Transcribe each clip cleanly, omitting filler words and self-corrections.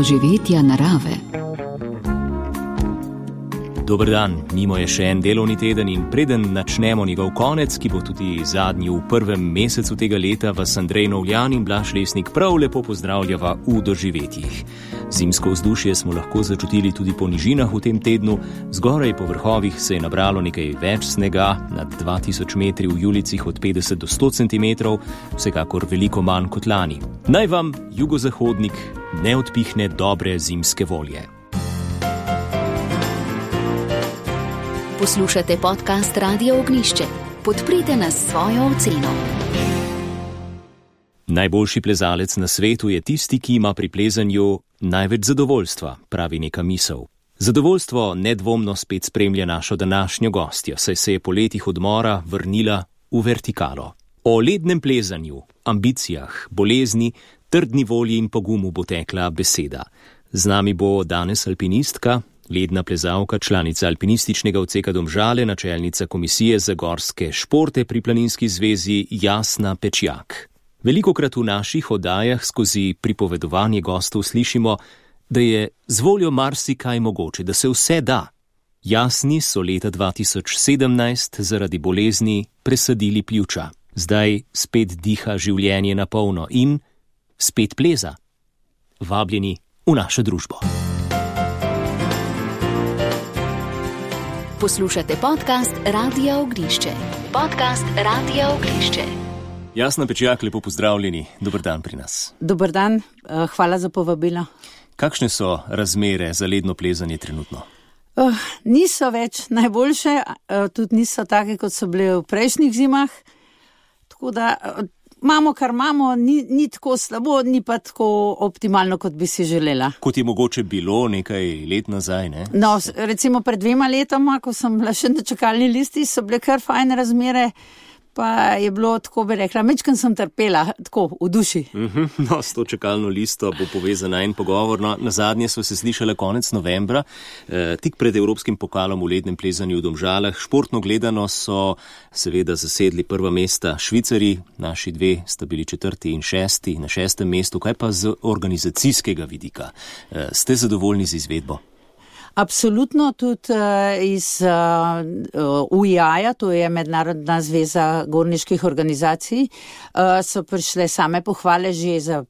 doživetja narave. Dober dan, mimo je še en delovni teden in preden načnemo njegov konec, ki bo tudi zadnji v prvem mesecu tega leta, vas Andrej Novljan in Blaž Lesnik prav lepo pozdravljava v doživetjih. Zimsko vzdušje smo lahko začutili tudi po nižinah v tem tednu, zgoraj po vrhovih se je nabralo nekaj več snega, nad 2000 metri v Julicih od 50 do 100 cm, vsekakor veliko manj kot lani. Naj vam jugozahodnik ne odpihne dobre zimske volje. Poslušate podcast Radia Ognjišče. Podprite nas s svojo oceno. Najboljši plezalec na svetu je tisti, ki ima pri plezanju največ zadovoljstva, pravi neka misel. Zadovoljstvo nedvomno spet spremlja našo današnjo gostjo, saj se je po letih odmora vrnila v vertikalo. O lednem plezanju, ambicijah, bolezni, trdni volji in pogumu bo tekla beseda. Z nami bo danes alpinistka, ledna plezalka, članica alpinističnega odseka Domžale, načelnica komisije za gorske športe pri Planinski zvezi Jasna Pečjak. Velikokrat v naših oddajah skozi pripovedovanje gostov slišimo, da je z voljo marsikaj mogoče, da se vse da. Jasni so leta 2017 zaradi bolezni presadili pljuča. Zdaj spet diha življenje na polno in spet pleza. Vabljeni v našo družbo. Poslušate podcast Radia Ognjišče. Podcast Radia Ognjišče. Jasna Pečjak, lepo pozdravljeni. Dober dan pri nas. Dober dan, hvala za povabilo. Kakšne so razmere za ledno plezanje trenutno? Niso več najboljše, tudi niso take, kot so bile v prejšnjih zimah. Tako da imamo, kar imamo, ni tako slabo, ni pa tako optimalno, kot bi si želela. Kot je mogoče bilo nekaj let nazaj, ne? No, recimo pred 2 letoma, ko sem bila še na čakalni listi, so bile kar fajne razmere, pa je bilo, tako bi rekla, mečkam sem trpela, tako, v duši. No, s to čakalno listo bo povezana en pogovor. No, nazadnje so se slišale konec novembra, tik pred evropskim pokalom v lednem plezanju v Domžalah. Športno gledano so seveda zasedli prva mesta Švicarji, naši 2 sta bili 4. in 6. na 6. mestu. Kaj pa z organizacijskega vidika? Ste zadovoljni z izvedbo? Absolutno, tudi iz UIA-ja, to je Mednarodna zveza gorniških organizacij, so prišle same pohvale že za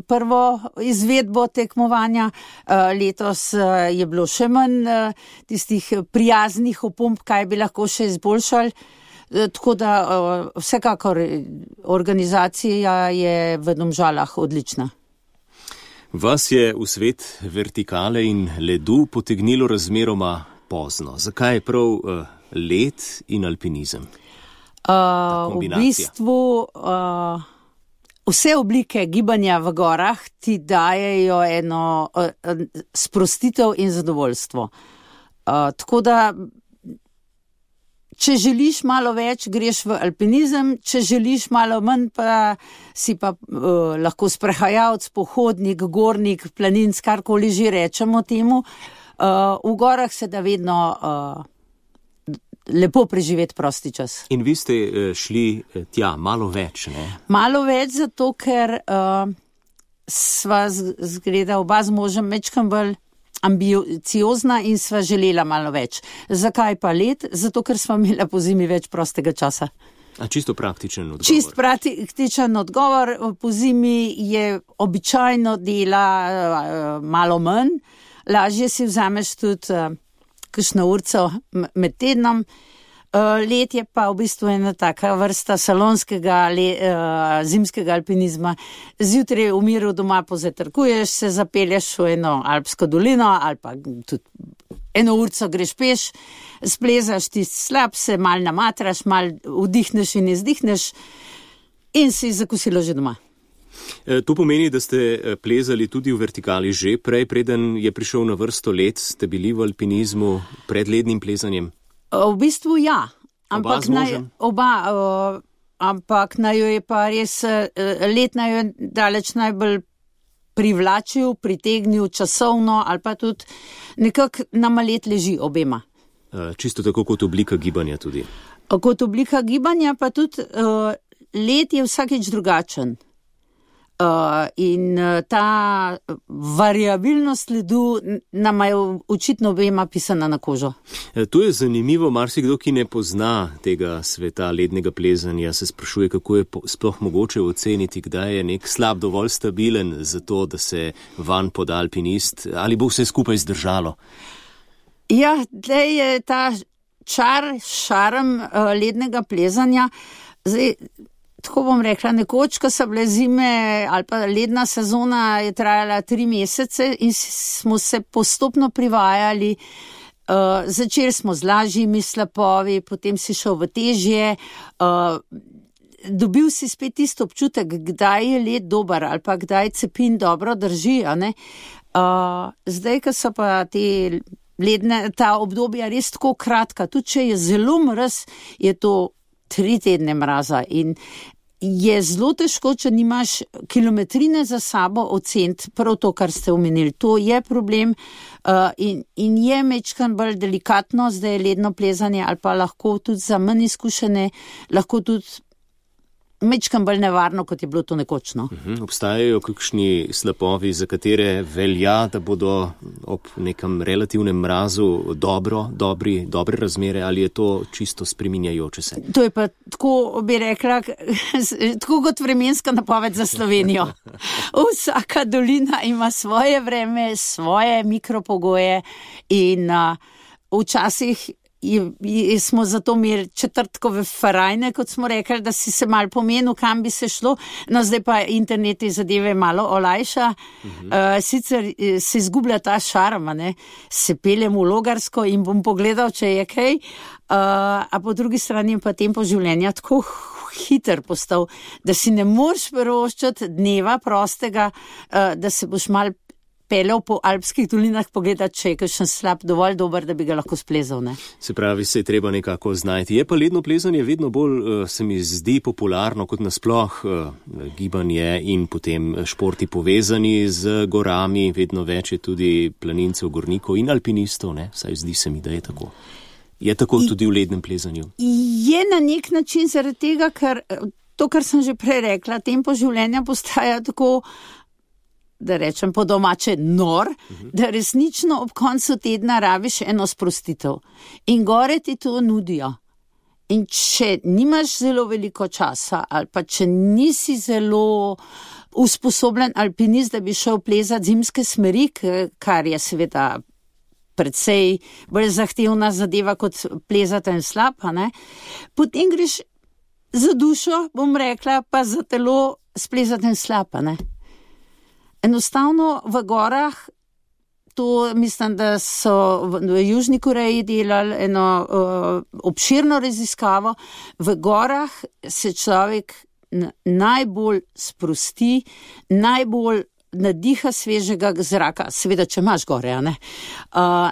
prvo izvedbo tekmovanja. Letos je bilo še manj tistih prijaznih opomb, kaj bi lahko še izboljšali. Tako da vsekakor organizacija je v Domžalah odlična. Vas je v svet vertikale in ledu potegnilo razmeroma pozno. Zakaj je prav led in alpinizem? V bistvu vse oblike gibanja v gorah ti dajejo eno sprostitev in zadovoljstvo. Tako da če želiš malo več, greš v alpinizem, če želiš malo manj, pa si pa lahko pohodnik, gornik, planinc, karkoli že rečemo temu. V gorah se da vedno lepo preživeti prosti čas. In vi ste šli tja malo več, ne? Malo več, zato ker sva zgleda oba z možem mečkam bolj ambiciozna in sva želela malo več. Zakaj pa led? Zato, ker sva imela po zimi več prostega časa. A čisto praktičen odgovor? Čist praktičen odgovor. Po zimi je običajno dela malo manj. Lažje si vzameš tudi kakšno urco med tednom. Led je pa v bistvu ena taka vrsta salonskega zimskega alpinizma. Zjutraj v miru doma pozatrkuješ, se zapelješ v eno alpsko dolino ali pa tudi eno urco greš peš, splezaš tisti slab, se mal namatraš, mal vdihneš in izdihneš in si zakosilo že doma. To pomeni, da ste plezali tudi v vertikali že prej, preden je prišel na vrsto led, ste bili v alpinizmu pred lednim plezanjem? V bistvu ja, ampak naj jo je pa res let naj jo daleč najbolj privlačil, pritegnil časovno ali pa tudi nekako nama let leži obema. Čisto tako kot oblika gibanja tudi. Kot oblika gibanja pa tudi let je vsakič drugačen. In ta variabilnost ledu nama je očitno obema pisana na kožo. To je zanimivo, marsikdo, ki ne pozna tega sveta lednega plezanja, se sprašuje, kako je sploh mogoče oceniti, kdaj je nek slab dovolj stabilen za to, da se vanj poda alpinist, ali bo vse skupaj zdržalo. Ja, tlej je ta šarm lednega plezanja. Zdaj, tako bom rekla, nekoč, ko so bile zime ali pa ledna sezona je trajala 3 mesece in smo se postopno privajali. Začeli smo z lažjimi slapovi, potem si šel v težje. Dobil si spet tisto občutek, kdaj je led dober ali pa kdaj cepin dobro drži. Zdaj, ko so pa ta obdobja res tako kratka, tudi če je zelo mraz, je to 3 tedne mraza in je zelo težko, če nimaš kilometrine za sabo oceniti prav to, kar ste omenili. To je problem in je mečkan bolj delikatno, zdaj je ledno plezanje ali pa lahko tudi za manj izkušene, lahko tudi mečkan bolj nevarno, kot je bilo to nekočno. Obstajajo kakšni slapovi, za katere velja, da bodo ob nekem relativnem mrazu dobre razmere, ali je to čisto spreminjajoče se? To je pa tako, bi rekla, tako kot vremenska napoved za Slovenijo. Vsaka dolina ima svoje vreme, svoje mikropogoje in včasih smo zato imeli četrtkove farajne, kot smo rekli, da si se malo pomenil, kam bi se šlo. No, zdaj pa internet te zadeve malo olajša. Sicer se izgublja ta šarm, se peljem v Logarsko in bom pogledal, če je kaj. A po drugi strani pa tempo življenja tako hiter postal, da si ne moreš privoščiti dneva prostega, da se boš malo peljal po alpskih dolinah pogledati, če je kakšen slab dovolj dober, da bi ga lahko splezal. Se pravi, se je treba nekako znajti. Je pa ledno plezanje vedno bolj, se mi zdi, popularno kot nasploh gibanje in potem športi povezani z gorami. Vedno več je tudi planincev, gornikov in alpinistov, saj zdi se mi, da je tako. Je tako tudi v lednem plezanju? Je na nek način zaradi tega, ker to, kar sem že prej rekla, tempo življenja postaja tako, da rečem po domače, nor, da resnično ob koncu tedna rabiš eno sprostitev. In gore ti to nudijo. In če nimaš zelo veliko časa ali pa če nisi zelo usposobljen alpinist, da bi šel plezati zimske smeri, kar je seveda precej bolj zahtevna zadeva kot plezati en slap, potem greš za dušo, bom rekla, pa za telo splezati en slap, Enostavno v gorah, to mislim, da so v Južni Koreji delali eno obširno raziskavo, v gorah se človek najbolj sprosti, najbolj nadiha svežega zraka, seveda, če imaš gore,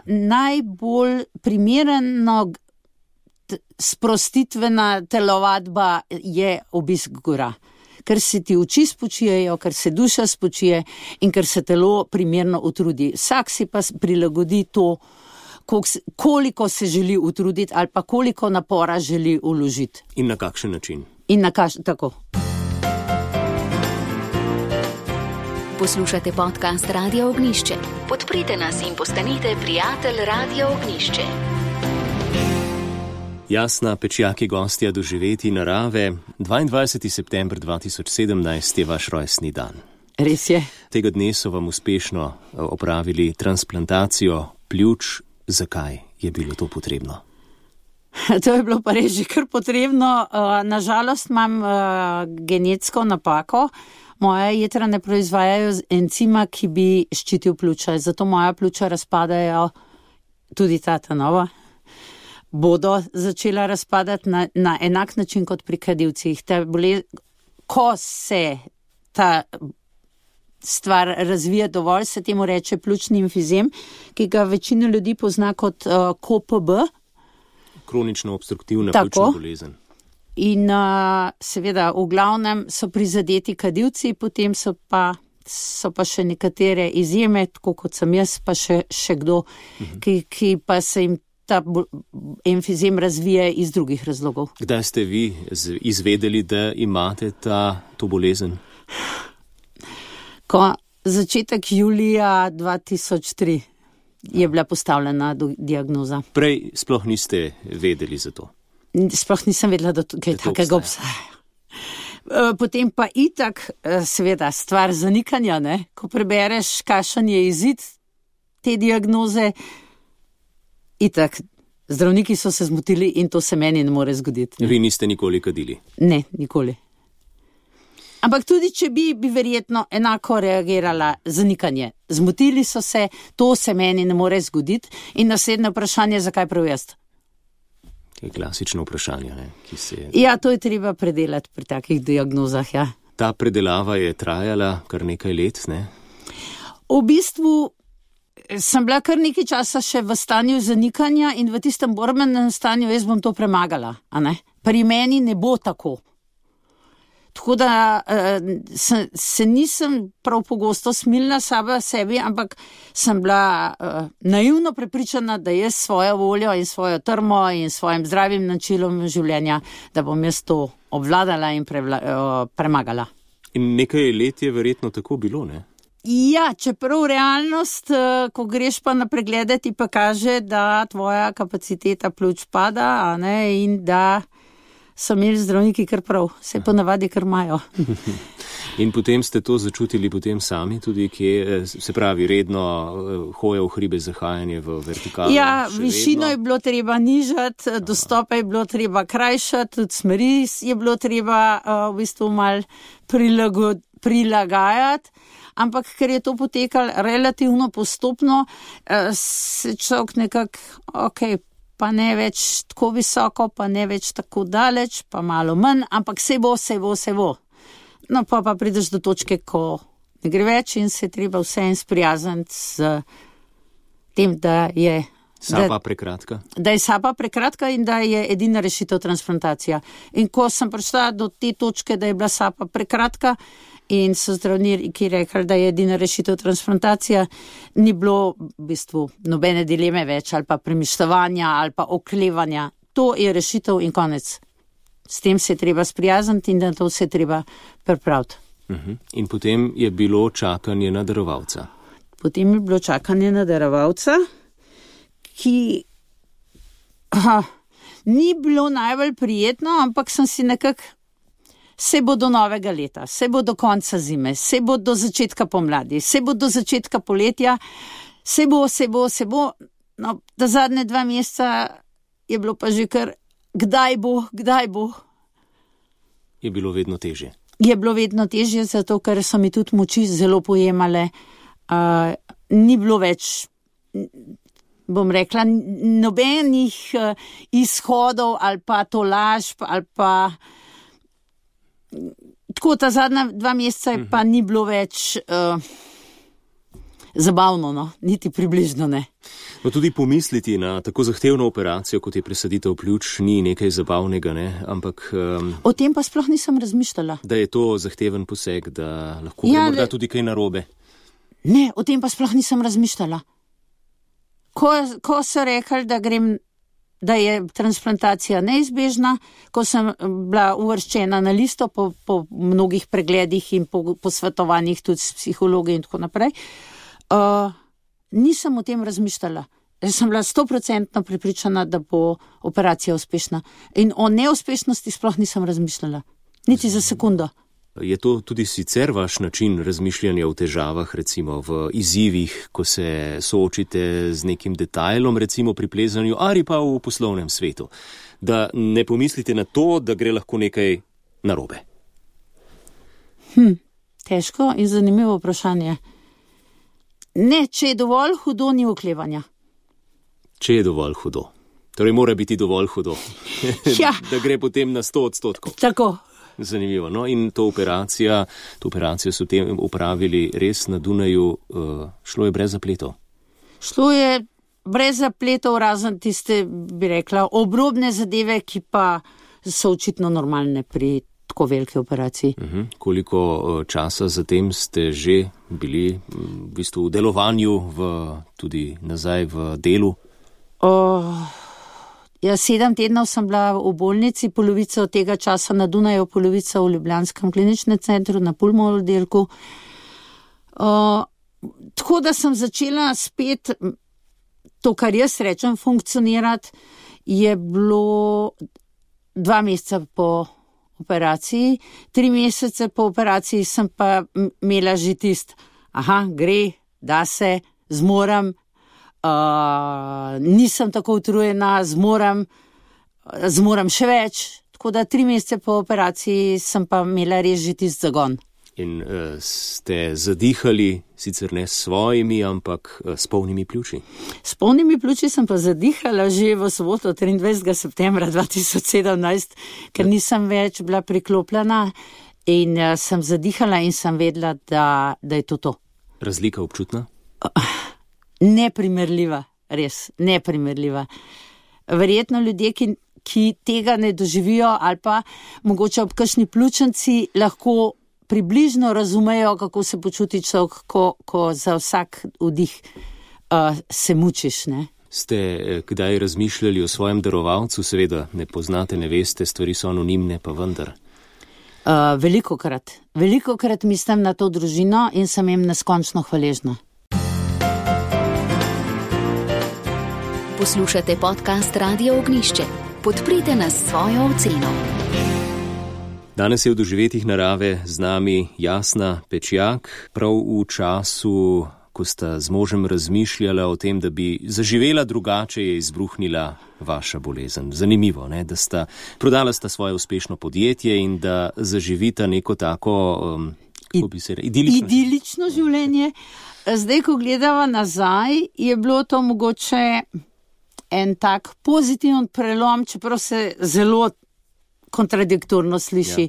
najbolj primerno sprostitvena telovadba je obisk gora. Ker se ti oči spočijejo, ker se duša spočije in ker se telo primerno utrudi. Vsak si pa prilagodi to, koliko se želi utruditi ali pa koliko napora želi vložiti. In na kakšen način? Tako. Poslušate podcast Radio Ognjišče. Podprite nas in postanite prijatelj Radio Ognjišče. Jasna Pečjak je gostja Doživeti narave. 22. september 2017 je vaš rojstni dan. Res je. Tega dne so vam uspešno opravili transplantacijo pljuč. Zakaj je bilo to potrebno? To je bilo pa res že kar potrebno. Nažalost imam genetsko napako. Moja jetra ne proizvajajo encima, ki bi ščitil pljuča. Zato moja pljuča razpadajo, tudi ta nova, bodo začela razpadati na enak način kot pri kadilcih. Ko se ta stvar razvija dovolj, se temu reče pljučni emfizem, ki ga večina ljudi pozna kot KOPB. Kronično obstruktivna pljučna bolezen. In seveda v glavnem so prizadeti kadilci, potem so pa še nekatere izjeme, tako kot sem jaz, pa še kdo, ki pa se jim ta emfizem razvije iz drugih razlogov. Kdaj ste vi izvedeli, da imate to bolezen? Začetek julija 2003 je bila postavljena diagnoza. Prej sploh niste vedeli za to? Sploh nisem vedela, da kaj takega obstaja. Potem pa itak, seveda, stvar zanikanja, ne? Ko prebereš, kakšen je izid te diagnoze, itak, zdravniki so se zmotili in to se meni ne more zgoditi. Ne? Vi niste nikoli kadili? Ne, nikoli. Ampak tudi, če bi verjetno enako reagirala zanikanje. Zmotili so se, to se meni ne more zgoditi in naslednje vprašanje, zakaj prav jaz? To je klasično vprašanje, ne? Ja, to je treba predelati pri takih diagnozah, ja. Ta predelava je trajala kar nekaj let, ne? V bistvu sem bila kar nekaj časa še v stanju zanikanja in v tistem borbenem stanju jaz bom to premagala, a ne? Pri meni ne bo tako. Tako da se nisem prav pogosto smilila sama sebi, ampak sem bila naivno prepričana, da jaz svojo voljo in svojo trmo in svojim zdravim načinom življenja, da bom jaz to obvladala in premagala. In nekaj let je verjetno tako bilo, ne? Ja, čeprav realnost, ko greš pa na preglede, ti pa kaže, da tvoja kapaciteta pljuč pada, a ne, in da so imeli zdravniki kar prav, se ponavadi kar imajo. In potem ste to začutili potem sami, tudi kje, se pravi, redno hoje v hribe, zahajanje v vertikalo? Ja, višino je bilo treba nižati, dostope je bilo treba krajšati, tudi smeri je bilo treba v bistvu malo prilagajati, ampak ker je to potekalo relativno postopno, se človek nekako, pa ne več tako visoko, pa ne več tako daleč, pa malo manj, ampak se bo. No, pa prideš do točke, ko ne gre več in se treba vseeno sprijazniti s tem, da je sapa prekratka. Da je sapa prekratka in da je edina rešitev transplantacija. In ko sem prišla do te točke, da je bila sapa prekratka, in so zdravniki rekli, da je edina rešitev transplantacija, ni bilo v bistvu nobene dileme več ali pa premišljevanja ali pa oklevanja. To je rešitev in konec. S tem se je treba sprijazniti in da to se je treba pripraviti. In potem je bilo čakanje na darovalca. Potem je bilo čakanje na darovalca, ki ni bilo najbolj prijetno, ampak sem si nekako se bo do novega leta, se bo do konca zime, se bo do začetka pomladi, se bo do začetka poletja, se bo. No, da zadnje 2 meseca je bilo pa že kar, kdaj bo. Je bilo vedno težje. Je bilo vedno težje, zato ker so mi tudi moči zelo pojemale. Ni bilo več, bom rekla, nobenih izhodov ali pa tolažb ali pa tako, ta zadnja 2 meseca pa ni bilo več zabavno, no, niti približno ne. No, tudi pomisliti na tako zahtevno operacijo, kot je presaditev pljuč, ni nekaj zabavnega, ne, ampak o tem pa sploh nisem razmišljala. Da je to zahteven poseg, da lahko gre morda tudi kaj narobe. Ne, o tem pa sploh nisem razmišljala. Ko so rekli, da je transplantacija neizbežna, ko sem bila uvrščena na listo po mnogih pregledih in po posvetovanjih tudi s psihologi in tako naprej, nisem o tem razmišljala. Jaz sem bila 100% prepričana, da bo operacija uspešna. In o neuspešnosti sploh nisem razmišljala. Niti za sekundo. Je to tudi sicer vaš način razmišljanja o težavah, recimo v izzivih, ko se soočite z nekim detajlom, recimo pri plezanju ali pa v poslovnem svetu, da ne pomislite na to, da gre lahko nekaj narobe? Težko in zanimivo vprašanje. Ne, če je dovolj hudo, ni oklevanja. Če je dovolj hudo. Torej mora biti dovolj hudo. Ja. Da gre potem na 100%. Tako. Zanimivo. No, in to operacijo so tem upravili res na Dunaju, šlo je brez zapletov? Šlo je brez zapletov, razen tiste, bi rekla, obrobne zadeve, ki pa so očitno normalne pri tako veliki operaciji. Koliko časa zatem ste že bili v bistvu v delovanju, tudi nazaj v delu? 7 tednov sem bila v bolnici, polovico tega časa na Dunaju, polovico v Ljubljanskem kliničnem centru, na pulmo oddelku. Tako da sem začela spet to, kar jaz rečem, funkcionirati, je bilo 2 meseca po operaciji. 3 mesece po operaciji sem pa imela že gre, da se, zmorem, nisem tako utrujena, zmorem še več. Tako da 3 mesece po operaciji sem pa imela res že tisti zagon. In ste zadihali, sicer ne s svojimi, ampak s polnimi pljuči? S polnimi pljuči sem pa zadihala že v soboto 23. septembra 2017, ker nisem več bila priklopljena in sem zadihala in sem vedela, da je to. Razlika občutna? Neprimerljiva, res, neprimerljiva. Verjetno ljudje, ki tega ne doživijo ali pa mogoče ob kakšni pljučnici lahko približno razumejo, kako se počuti človek, ko za vsak vdih se mučiš, ne? Ste kdaj razmišljali o svojem darovalcu? Seveda ne poznate, ne veste, stvari so anonimne, pa vendar. Velikokrat mislim na to družino in sem jim neskončno hvaležna. Poslušate podcast Radio Ognjišče. Podprite nas s svojo oceno. Danes je v doživetjih narave z nami Jasna Pečjak, prav v času, ko sta z možem razmišljala o tem, da bi zaživela drugače, je izbruhnila vaša bolezen. Zanimivo, ne? Da sta prodala svoje uspešno podjetje in da zaživita neko tako, kako bi se idilično življenje. Zdaj, ko gledava nazaj, je bilo to mogoče en tak pozitiven prelom, čeprav se zelo kontradiktorno sliši.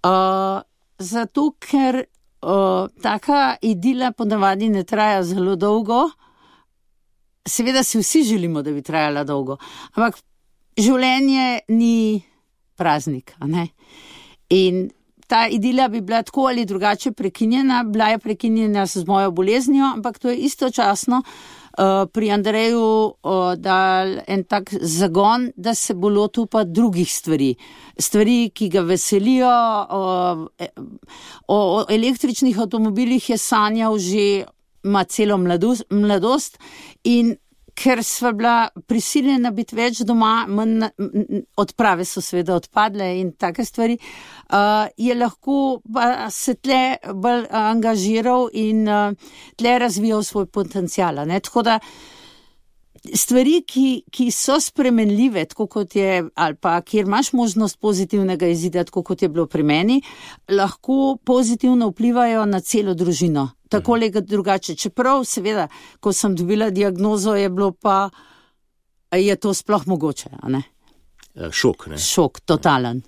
Ja. Zato, ker taka idila ponavadi ne traja zelo dolgo. Seveda si vsi želimo, da bi trajala dolgo, ampak življenje ni praznik, a ne? In ta idila bi bila tako ali drugače prekinjena, bila je prekinjena z mojo boleznijo, ampak to je istočasno pri Andreju dal en tak zagon, da se bo lotil pa drugih stvari. Stvari, ki ga veselijo. O električnih avtomobilih je sanjal že ima celo mladost in ker sva bila prisiljena biti več doma, odprave so seveda odpadle in take stvari, je lahko se tle bolj angažiral in tle razvijal svoj potencial. Tako da stvari, ki so spremenljive, tako kot je, ali pa kjer imaš možnost pozitivnega izida, tako kot je bilo pri meni, lahko pozitivno vplivajo na celo družino. Tako ali drugače. Čeprav, seveda, ko sem dobila diagnozo, je bilo pa, je to sploh mogoče, a ne? Šok, ne? Šok, totalen.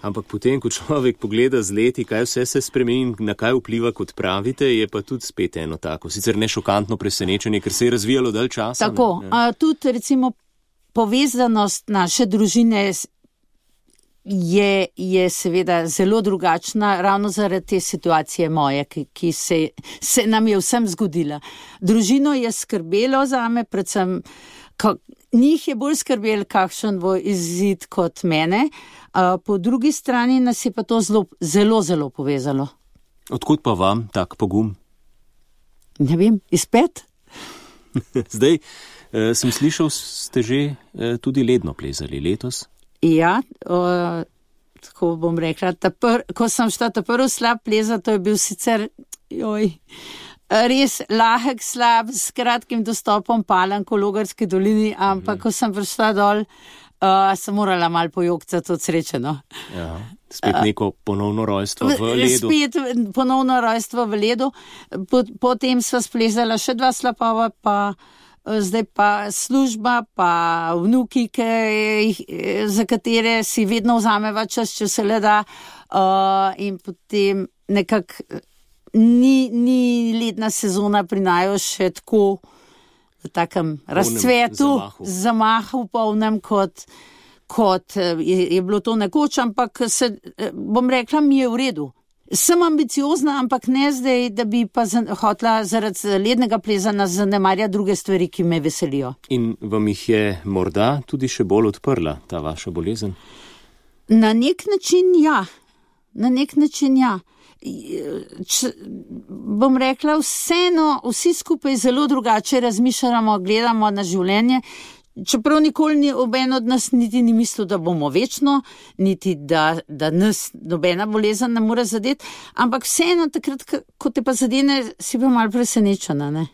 Ampak potem, ko človek pogleda z leti, kaj vse se spremeni, na kaj vpliva, kot pravite, je pa tudi spet eno tako, sicer ne šokantno presenečenje, ker se je razvijalo dalj časa. Tako, tudi recimo povezanost naše družine je seveda zelo drugačna, ravno zaradi te situacije moje, ki se nam je vsem zgodila. Družino je skrbelo zame, predvsem njih je bolj skrbelo, kakšen bo izid kot mene, po drugi strani nas je pa to zelo povezalo. Odkud pa vam tak pogum? Ne vem, izpet? Zdaj, sem slišal, ste že tudi ledno plezali letos? Ja, tako bom rekla, ko sem šla ta prvi slab plezat, to je bil sicer res lahek slab, s kratkim dostopom Palank v Logarski dolini, ampak ko sem prišla dol, sem morala malo pojokcati od sreče, no. Ja, spet neko ponovno rojstvo v ledu. Spet ponovno rojstvo v ledu, potem sva splezala še 2 slapova, pa zdaj pa služba, pa vnuki, za katere si vedno vzameva čas, če se le da, in potem nekako ni letna sezona pri naju še tako v takem razcvetu, zamahu polnem, kot je bilo to nekoč, ampak bom rekla, mi je v redu. Sem ambiciozna, ampak ne zdaj, da bi pa hotela zaradi lednega plezanja zanemarjati druge stvari, ki me veselijo. In vam jih je morda tudi še bolj odprla ta vaša bolezen? Na nek način ja. bom rekla, vseeno, vsi skupaj zelo drugače razmišljamo, gledamo na življenje, čeprav nikoli ni oben od nas niti ni mislil, da bomo večno, niti da nas nobena bolezen ne more zadeti, ampak vseeno takrat, ko te pa zadene, si pa malo presenečena, ne?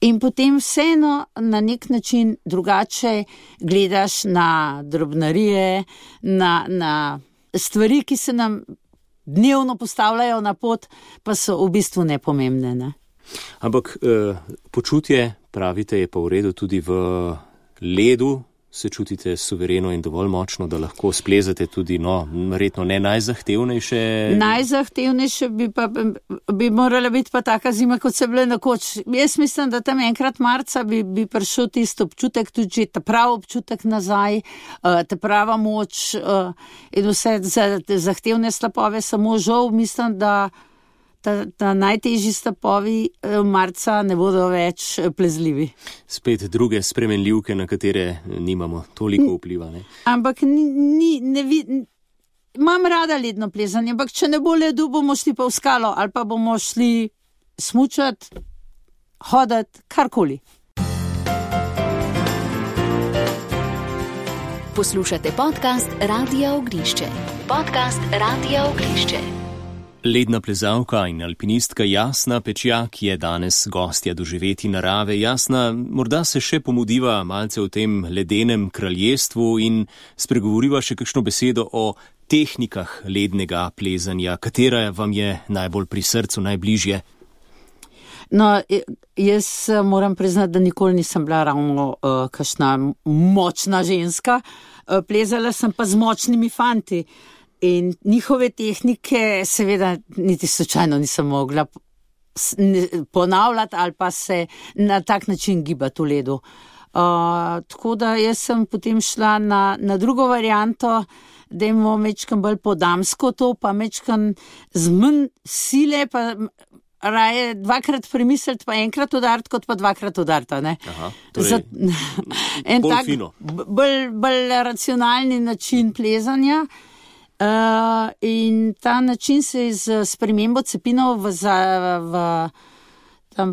In potem vseeno na nek način drugače gledaš na drobnarije, na stvari, ki se nam dnevno postavljajo na pot, pa so v bistvu nepomembne, ne? Ampak počutje, pravite, je pa v redu tudi v ledu, se čutite suvereno in dovolj močno, da lahko splezate tudi, verjetno ne najzahtevnejše. Najzahtevnejše bi morala biti pa taka zima, kot se bile nekoč. Jaz mislim, da tam enkrat marca bi prišel tisti občutek, tudi ta prav občutek nazaj, ta prava moč in vse zahtevne slapove, samo žal mislim, da najtežji slapovi marca ne bodo več plezljivi. Spet druge spremenljivke, na katere nimamo toliko vpliva, ne? Ampak imam rada ledno plezanje, ampak če ne bo ledu, bomo šli pa v skalo ali pa bomo šli smučati, hoditi, karkoli. Poslušate podcast Radia Ognjišče. Podcast Radia Ognjišče. Ledna plezalka in alpinistka Jasna Pečjak je danes gostja Doživeti narave. Jasna, morda se še pomudiva malce o tem ledenem kraljestvu in spregovoriva še kakšno besedo o tehnikah lednega plezanja. Katera vam je najbolj pri srcu, najbližje? No, jaz moram priznati, da nikoli nisem bila ravno kakšna močna ženska. Plezala sem pa z močnimi fanti. In njihove tehnike seveda niti slučajno nisem mogla ponavljati ali pa se na tak način gibati v ledu. Tako da jaz sem potem šla na drugo varianto, da imamo mečkan bolj po damsko to, pa mečkan z manj sile, pa raje dvakrat premisliti, pa enkrat udariti, kot pa dvakrat udariti, ne? Aha, torej en bolj tak fino. Bolj racionalni način plezanja. In ta način se je z spremembo cepinov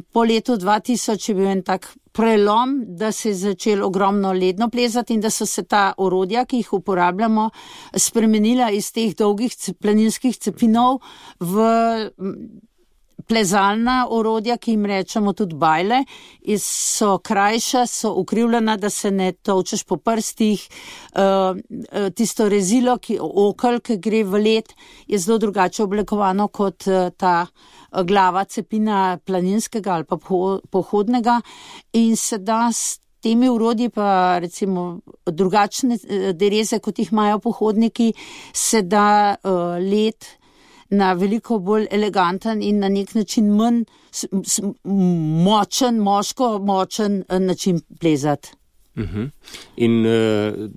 po letu 2000 je bil en tak prelom, da se je začelo ogromno ledno plezati in da so se ta orodja, ki jih uporabljamo, spremenila iz teh dolgih planinskih cepinov v plezalna orodja, ki jim rečemo tudi bajle, so krajša, so ukrivljena, da se ne tolčeš po prstih. Tisto rezilo, okel, ki gre v led, je zelo drugače oblikovano kot ta glava cepina planinskega ali pa pohodnega in se da s temi urodji pa recimo drugačne dereze, kot jih imajo pohodniki, se da led na veliko bolj eleganten in na nek način manj močen način plezati. In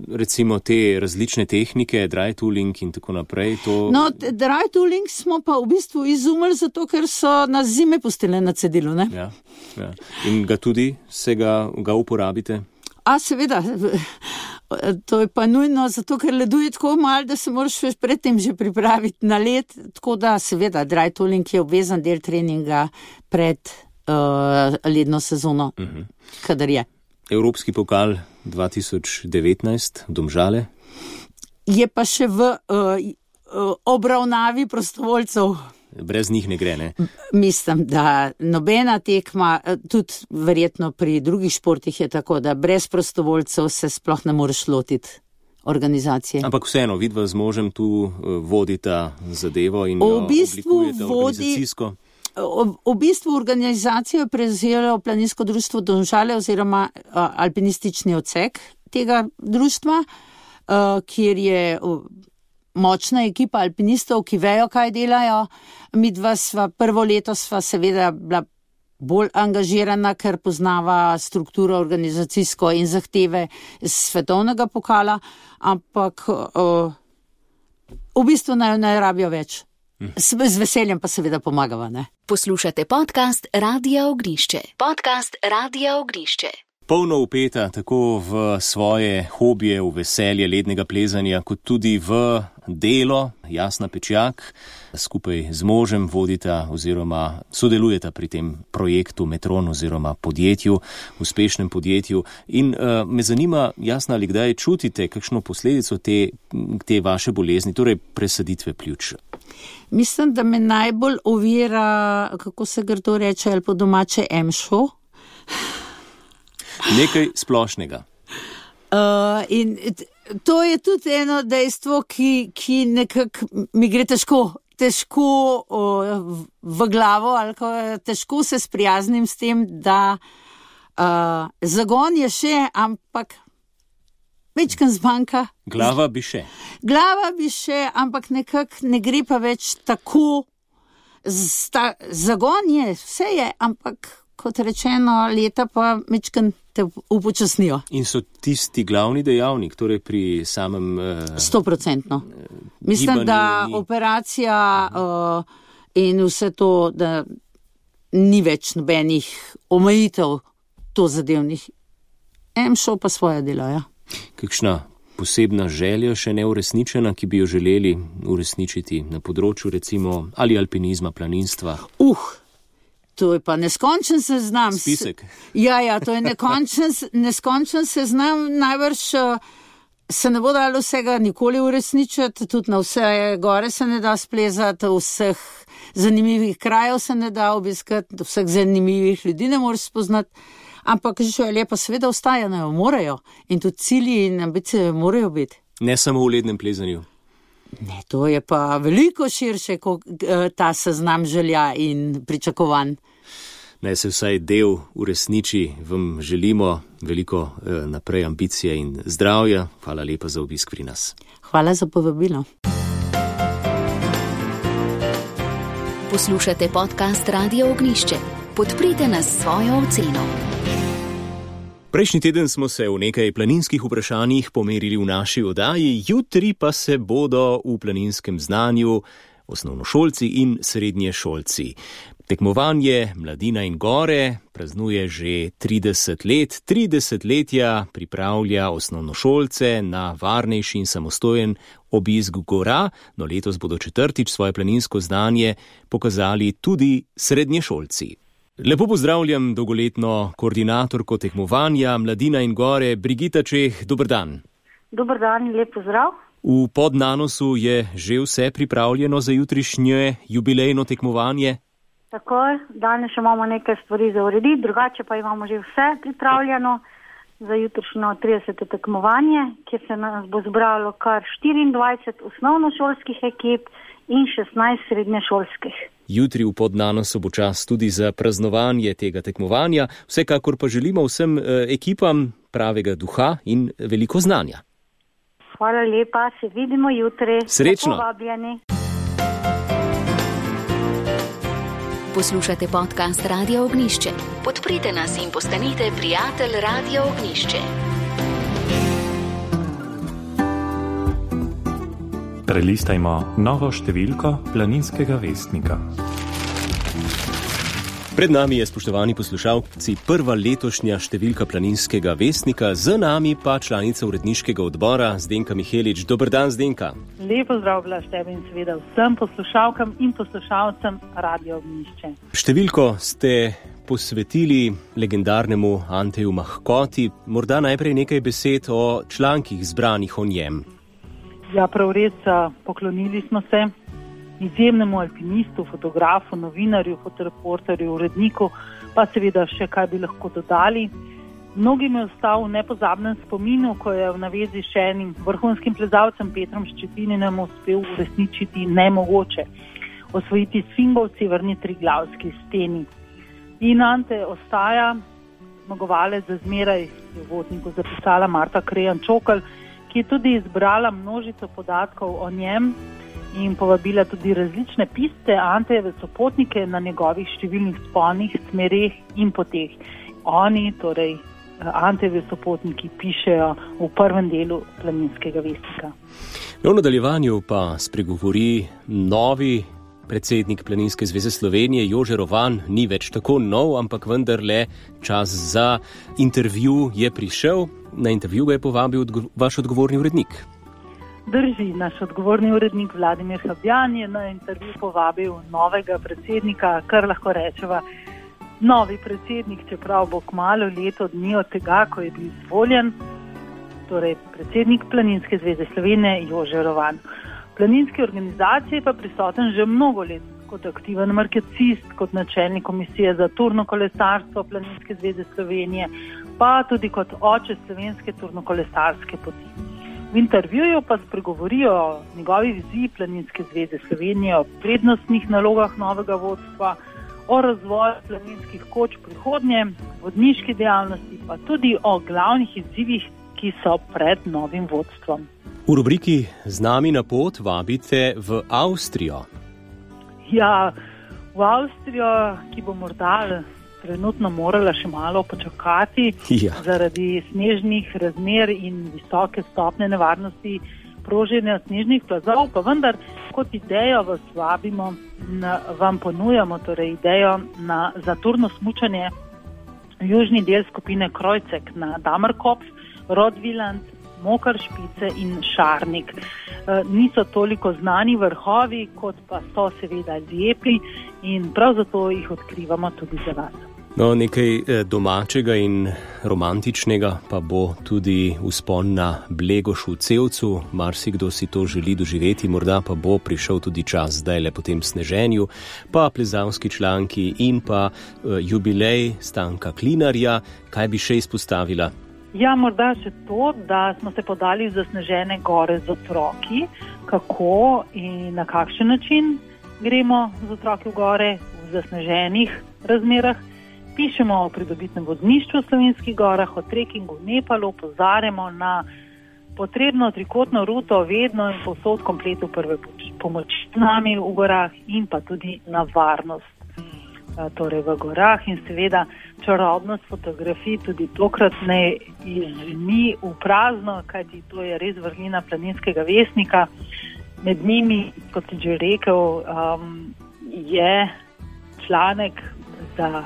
recimo te različne tehnike, dry tooling in tako naprej, to... No, dry tooling smo pa v bistvu izumili zato, ker so nas zime pustile na cedilu, ne? Ja. In ga uporabite? Seveda, to je pa nujno, zato ker ledu je tako malo, da se moraš predtem že pripraviti na led, tako da seveda dry tooling je obvezen del treninga pred ledno sezono, kadar je. Evropski pokal 2019, Domžale? Je pa še v obravnavi prostovoljcev. Brez njih ne gre, ne? Mislim, da nobena tekma, tudi verjetno pri drugih športih je tako, da brez prostovoljcev se sploh ne moreš lotiti organizacije. Ampak vseeno, vidva z možem tu vodita zadevo in jo oblikujete organizacijsko. V bistvu organizacijo je prevzelo Planinsko društvo Domžale oziroma alpinistični odsek tega društva, kjer je močna ekipa alpinistov, ki vejo, kaj delajo. Midva prvo leto sva seveda bila bolj angažirana, ker poznava strukturo organizacijsko in zahteve svetovnega pokala, ampak v bistvu ne rabijo več. Z veseljem pa seveda pomagava, ne? Poslušate podcast Radia Ognjišče. Podcast Radia Ognjišče. polno vpeta tako v svoje hobije, v veselje lednega plezanja, kot tudi v delo. Jasna Pečjak skupaj z možem vodita oziroma sodelujeta pri tem projektu Metron oziroma podjetju, uspešnem podjetju. In me zanima, Jasna, ali kdaj čutite kakšno posledico te vaše bolezni, torej presaditve pljuč? Mislim, da me najbolj ovira, kako se grdo reče, ali po domače emšo. Nekaj splošnega. In to je tudi eno dejstvo, ki nekako mi gre težko v glavo, ali težko se sprijaznim s tem, da zagon je še, ampak večkrat zmanjka. Glava bi še, ampak nekako ne gre pa več tako. Zagon je, vse je, ampak kot rečeno, leta pa večkrat te upočasnijo. In so tisti glavni dejavnik, torej pri samem 100%. Mislim, da operacija in vse to, da ni več nobenih omejitev to zadevnih. Šel pa svoje delo, ja. Kakšna posebna želja še neuresničena, ki bi jo želeli uresničiti na področju recimo ali alpinizma, planinstva? To je pa neskončen seznam. Spisek. Ja, to je neskončen seznam. Najbrž se ne bo dalo vsega nikoli uresničiti, tudi na vse gore se ne da splezati, vseh zanimivih krajev se ne da obiskati, vseh zanimivih ljudi ne moreš spoznati, ampak želje pa seveda ostajajo, morajo. In tudi cilji in ambicije morajo biti. Ne samo v lednem plezanju. Ne, to je pa veliko širše kot ta seznam želja in pričakovanj. Naj se vsaj del uresniči, vam želimo veliko naprej ambicije in zdravja. Hvala lepa za obisk pri nas. Hvala za povabilo. Poslušate podcast Radio Ognjišče. Podprite nas s svojo oceno. Prejšnji teden smo se v nekaj planinskih vprašanjih pomerili v naši oddaji, jutri pa se bodo v planinskem znanju osnovnošolci in srednješolci. Tekmovanje Mladina in gore praznuje že 30 let. 3 desetletja pripravlja osnovnošolce na varnejši in samostojen obisk gora, no letos bodo četrtič svoje planinsko znanje pokazali tudi srednješolci. Lepo pozdravljam dolgoletno koordinatorko tekmovanja Mladina in gore, Brigita Čeh, dober dan. Dober dan, lep pozdrav. V Podnanosu je že vse pripravljeno za jutrišnje jubilejno tekmovanje? Takoj, danes še imamo nekaj stvari za urediti, drugače pa imamo že vse pripravljeno za jutrišnjo 30. tekmovanje, kjer se nas bo zbralo kar 24 osnovnošolskih ekip in 16 srednješolskih. Jutri v Podnanosu bo čas tudi za praznovanje tega tekmovanja, vsekakor pa želimo vsem ekipam pravega duha in veliko znanja. Hvala lepa, se vidimo jutri. Srečno. Povabljeni. Poslušate podcast Radio Ognjišče. Podprite nas in postanite prijatelj Radio Ognjišče. Prelistajmo novo številko Planinskega vestnika. Pred nami je, spoštovani poslušalci, prva letošnja številka Planinskega vestnika, z nami pa članica uredniškega odbora Zdenka Mihelič. Dober dan, Zdenka. Lep pozdrav, Blaž, tebi in seveda vsem poslušalkam in poslušalcem Radio Ognjišče. Številko ste posvetili legendarnemu Anteju Mahkoti. Morda najprej nekaj besed o člankih zbranih o njem. Ja, prav res, poklonili smo se izjemnemu alpinistu, fotografu, novinarju, fotoreporterju, uredniku, pa seveda še kaj bi lahko dodali. Mnogim je ostal v nepozabnem spominu, ko je v navezi še enim vrhunskim plezalcem Petrom Ščetininem uspel uresničiti nemogoče, osvojiti sfingo v severni Triglavski steni. In Ante ostaja zmagovalec, za zmeraj je v vodniku zapisala Marta Krejan-Čokl, ki je tudi izbrala množico podatkov o njem in povabila tudi različne piste Antejeve sopotnike na njegovih številnih vzponih, smereh in poteh. Oni, torej Antejevi sopotniki, pišejo v prvem delu Planinskega vestnika. V nadaljevanju pa spregovori novi predsednik Planinske zveze Slovenije Jože Rovan ni več tako nov, ampak vendarle čas za intervju je prišel. Na intervju ga je povabil vaš odgovorni urednik. Drži, naš odgovorni urednik Vladimir Habjan je na intervju povabil novega predsednika, kar lahko rečeva novi predsednik, čeprav bo kmalu leto dni od tega, ko je bil izvoljen, torej predsednik Planinske zveze Slovenije Jože Rovan. V planinski organizaciji pa prisoten že mnogo let kot aktiven markecist, kot načelnik komisije za turno kolesarstvo Planinske zveze Slovenije, pa tudi kot oče slovenske turnokolesarske poti. V intervjuju pa spregovorijo o njegovi viziji Planinske zveze Slovenije, o prednostnih nalogah novega vodstva, o razvoju planinskih koč prihodnje, vodniški dejavnosti, pa tudi o glavnih izzivih, ki so pred novim vodstvom. V rubriki Z nami na pot vabite v Avstrijo. Ja, v Avstrijo, ki bo morda trenutno morala še malo počakati zaradi snežnih razmer in visoke stopnje nevarnosti proženja snežnih plazov, pa vendar kot idejo vas vabimo, vam ponujamo torej idejo za turno smučanje v južni del skupine Krojcek na Damerkopf, Rodviland, Mokršpice in Šarnik. Niso toliko znani vrhovi, kot pa so seveda lepi in prav zato jih odkrivamo tudi za vas. No, nekaj domačega in romantičnega pa bo tudi vzpon na Blegoš v Cevcu. Marsikdo si to želi doživeti, morda pa bo prišel tudi čas zdajle po tem sneženju, pa plezalski članki in pa jubilej Stanka Klinarja. Kaj bi še izpostavila? Ja, morda še to, da smo se podali v zasnežene gore z otroki. Kako in na kakšen način gremo z otroki v gore v zasneženih razmerah? Pišemo o pridobitnem vozništvu v Slovenskih gorah, o trekingu v Nepalu, opozarjamo na potrebno trikotno ruto vedno in povsod kompletu prve pomoči z nami v gorah in pa tudi na varnost. Torej v gorah in seveda čarobnost fotografij tudi tokrat ne izženi v prazno, kajti to je res vrlina Planinskega vestnika. Med njimi, kot sem že rekel, je članek za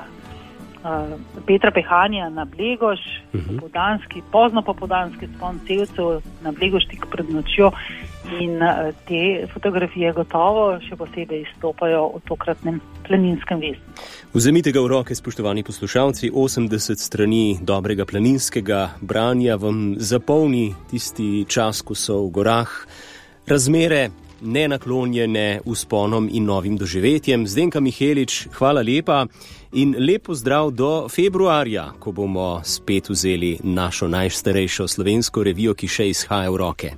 Petra Pehanja na Blegoš, pozno popoldanski vzpon Cevcev na Blegoš tik pred nočjo in te fotografije gotovo še posebej izstopajo v tokratnem Planinskem vestniku. Vzemite ga v roke, spoštovani poslušalci, 80 strani dobrega planinskega branja vam zapolni tisti čas, ko so v gorah razmere nenaklonjene vzponom in novim doživetjem. Zdenka Mihelič, hvala lepa in lep pozdrav do februarja, ko bomo spet vzeli našo najstarejšo slovensko revijo, ki še izhaja v roke.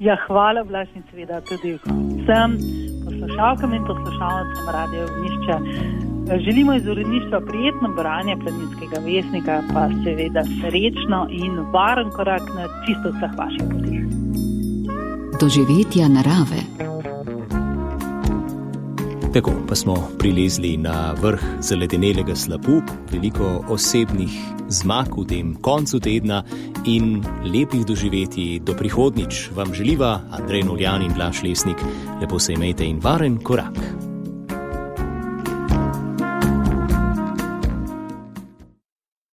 Ja, hvala Blaž in seveda tudi vsem poslušalkam in poslušalcem Radia Ognjišče. Želimo iz uredništva prijetno branje Planinskega vestnika, pa seveda srečno in varen korak na čisto vseh vaših potih. Doživetja narave. Tako pa smo prilezli na vrh zaledenelega slapu, veliko osebnih zmag v tem koncu tedna in lepih doživetij do prihodnjič. Vam želiva Andrej Noljan in Blaž Lesnik. Lepo se imejte in varen korak.